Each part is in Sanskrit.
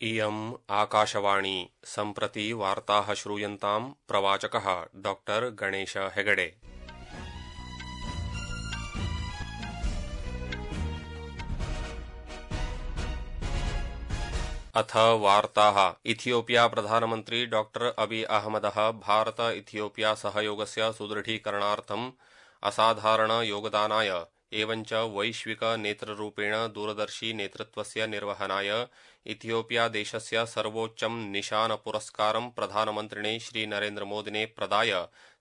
इयम् आकाशवाणी सम्प्रति वार्ताः श्रूयन्ताम् प्रवाचकः डॉक्टर गणेश हेगडे। अथ वार्ताः। इथियोपिया प्रधानमन्त्री डॉक्टर अबी अहमदः भारत इथियोपिया सहयोगस्य सुदृढीकरणार्थम् असाधारण योगदानाय एवञ्च वैश्विक नेतृरूपेण दूरदर्शी नेतृत्वस्य निर्वहनाय इथियोपिया देशस्य सर्वोच्चं निशान पुरस्कारं प्रधानमन्त्रिणे श्री नरेन्द्र मोदिने प्रदाय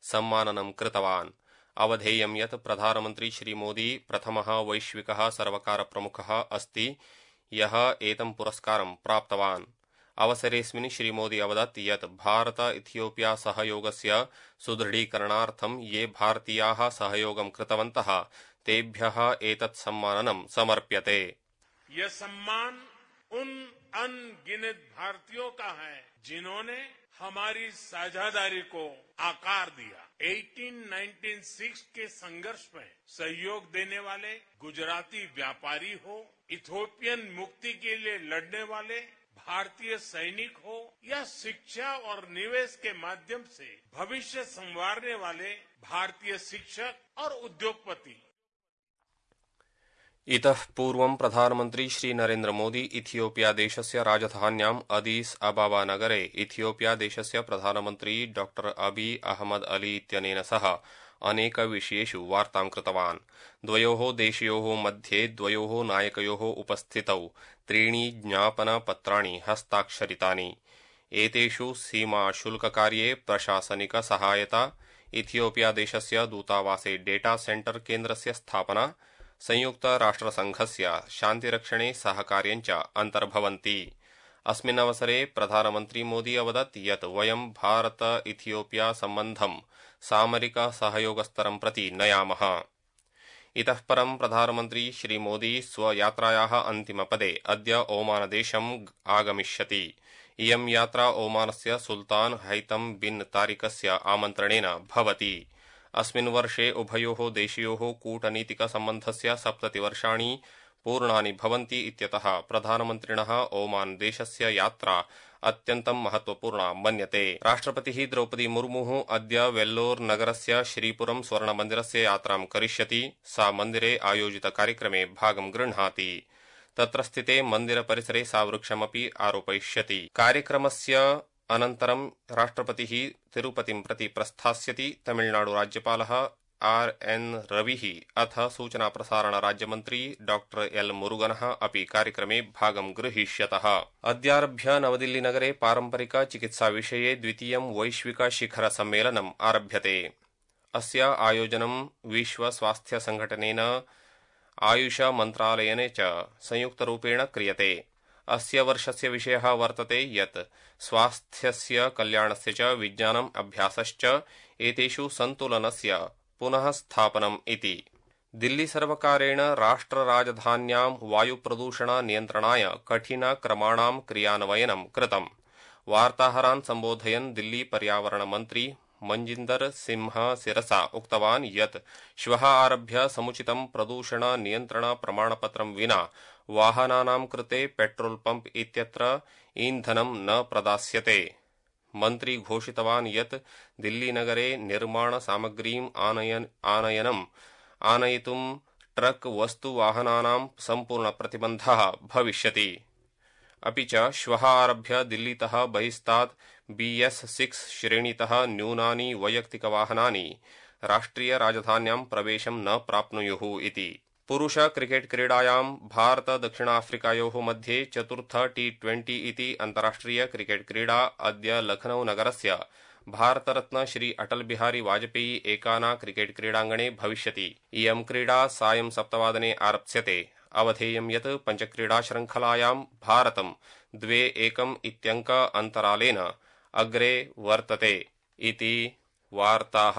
सम्माननं कृतवान्। अवधेयं यत् प्रधानमन्त्री श्री मोदी प्रथमः वैश्विकः सर्वकारप्रमुखः अस्ति यः एतं पुरस्कारं प्राप्तवान्। अवसरेऽस्मिन् श्री मोदी अवदत् यत् भारत इथियोपिया सहयोगस्य सुदृढीकरणार्थं ये भारतीयाः सहयोगं कृतवन्तः तेभ्यः एतत् सम्माननं समर्प्यते। यह सम्मान उन अनगिनत भारतीयों का है जिन्होंने हमारी साझेदारी को आकार दिया। 1896 के संघर्ष में सहयोग देने वाले गुजराती व्यापारी हो, इथियोपियन मुक्ति के लिए लड़ने वाले भारतीय सैनिक हो या शिक्षा और निवेश के माध्यम से भविष्य संवारने वाले भारतीय शिक्षक और उद्योगपति। इतः पूर्वं प्रधानमन्त्री श्री नरेन्द्र मोदी इथियोपिया देशस्य राजधान्याम् अदीस अबाबा नगरे इथियोपिया देशस्य प्रधानमन्त्री डॉक्टर अबी अहमद अली इत्यनेन सह अनेक विषयेषु वार्तां कृतवान्। द्वयोः देशयोः मध्ये द्वयोः नायकयोः उपस्थितौ 3 ज्ञापनपत्राणि हस्ताक्षरितानि। एतेषु सीमा शुल्ककार्ये प्रशासनिक सहायता, इथियोपिया देशस्य दूतावासे डेटा सेंटर केन्द्रस्य स्थापना, संयुक्त राष्ट्रसंघस्य शान्तिरक्षणे सहकार्यञ्च अन्तर्भवन्ति। अस्मिन् अवसरे प्रधानमन्त्री मोदी अवदत् यत् वयं भारत इथियोपिया सम्बन्धं सामरिक सहयोगस्तरं प्रति नयामः। इतः परं प्रधानमन्त्री श्री मोदी स्वयात्रायाः अन्तिमपदे अद्य ओमानदेशम् आगमिष्यति। इयं यात्रा ओमानस्य सुल्तान हैतम बिन तारिकस्य आमन्त्रणेन भवति। अस्मिन् वर्षे उभयोः देशयोः कूटनीतिकसम्बन्धस्य 70 वर्षाणि पूर्णानि भवन्ति इत्यतः प्रधानमन्त्रिणः ओमान देशस्य यात्रा अत्यन्तं महत्वपूर्णा मन्यते। राष्ट्रपतिः द्रौपदी मुर्मुः अद्य वेल्लोर नगरस्य श्रीपुरं स्वर्णमन्दिरस्य यात्रां करिष्यति। सा मन्दिरे आयोजितकार्यक्रमे भागं गृह्णाति। तत्र स्थिते मन्दिरपरिसरे सा वृक्षमपि आरोपयिष्यति। कार्यक्रमस्य अनन्तरं राष्ट्रपतिः तिरुपतिं प्रति प्रस्थास्यति। तमिलनाडुराज्यपालः RN रविः अथ सूचना प्रसारण राज्यमन्त्री डॉक्टर L मुरुगनः अपि कार्यक्रमे भागं गृहीष्यतः। अद्यारभ्य नवदिल्लीनगरे पारम्परिक चिकित्साविषये द्वितीयं वैश्विक शिखर सम्मेलनम् आरभ्यते। अस्य आयोजनं विश्वस्वास्थ्यसंघटनेन आयुष मन्त्रालयेन च संयुक्तरूपेण क्रियते। अस्य वर्षस्य विषयः वर्तते यत् स्वास्थ्यस्य कल्याणस्य च विज्ञानम् अभ्यासश्च एतेषु सन्तुलनस्य पुनः स्थापनम् इति। दिल्ली सर्वकारेण राष्ट्रराजधान्यां वायुप्रदूषण नियन्त्रणाय कठिनक्रमाणां क्रियान्वयनं कृतम्। वार्ताहरान् सम्बोधयन् दिल्ली पर्यावरण मन्त्री मंजिन्दर सिंह सिरसा उक्तवान् यत् श्वः आरभ्य समुचितं प्रदूषण नियन्त्रण प्रमाणपत्रं विना वाहनानां कृते पेट्रोल पंप इत्यत्र ईन्धनं न प्रदास्यते। मन्त्री घोषितवान् यत् दिल्लीनगरे निर्माण सामग्रीम् आनयितुं ट्रक वस्तुवाहनानां सम्पूर्णप्रतिबन्धः भविष्यति। अपि च श्वः आरभ्य दिल्लीतः बहिस्तात् BS6 श्रेणीतः न्यूनानि वैयक्तिकवाहनानि राष्ट्रियराजधान्यां प्रवेशं न प्राप्नुयुः इति। पुरुष क्रिकेट क्रीडायां भारत दक्षिणाफ्रिकायोः मध्ये चतुर्थ T20 इति अन्ताराष्ट्रिय क्रिकेट क्रीडा अद्य लखनऊ नगरस्य भारतरत्न श्री अटल बिहारी वाजपेयी एकाना क्रिकेट क्रीडाङ्गणे भविष्यति। इयं क्रीडा सायं 7 वादने आरप्स्यते। अवधेयं यत् पञ्चक्रीडाशृङ्खलायां भारतं 2-1 इत्यङ्क अन्तरालेन अग्रे वर्तते इति वार्ताः।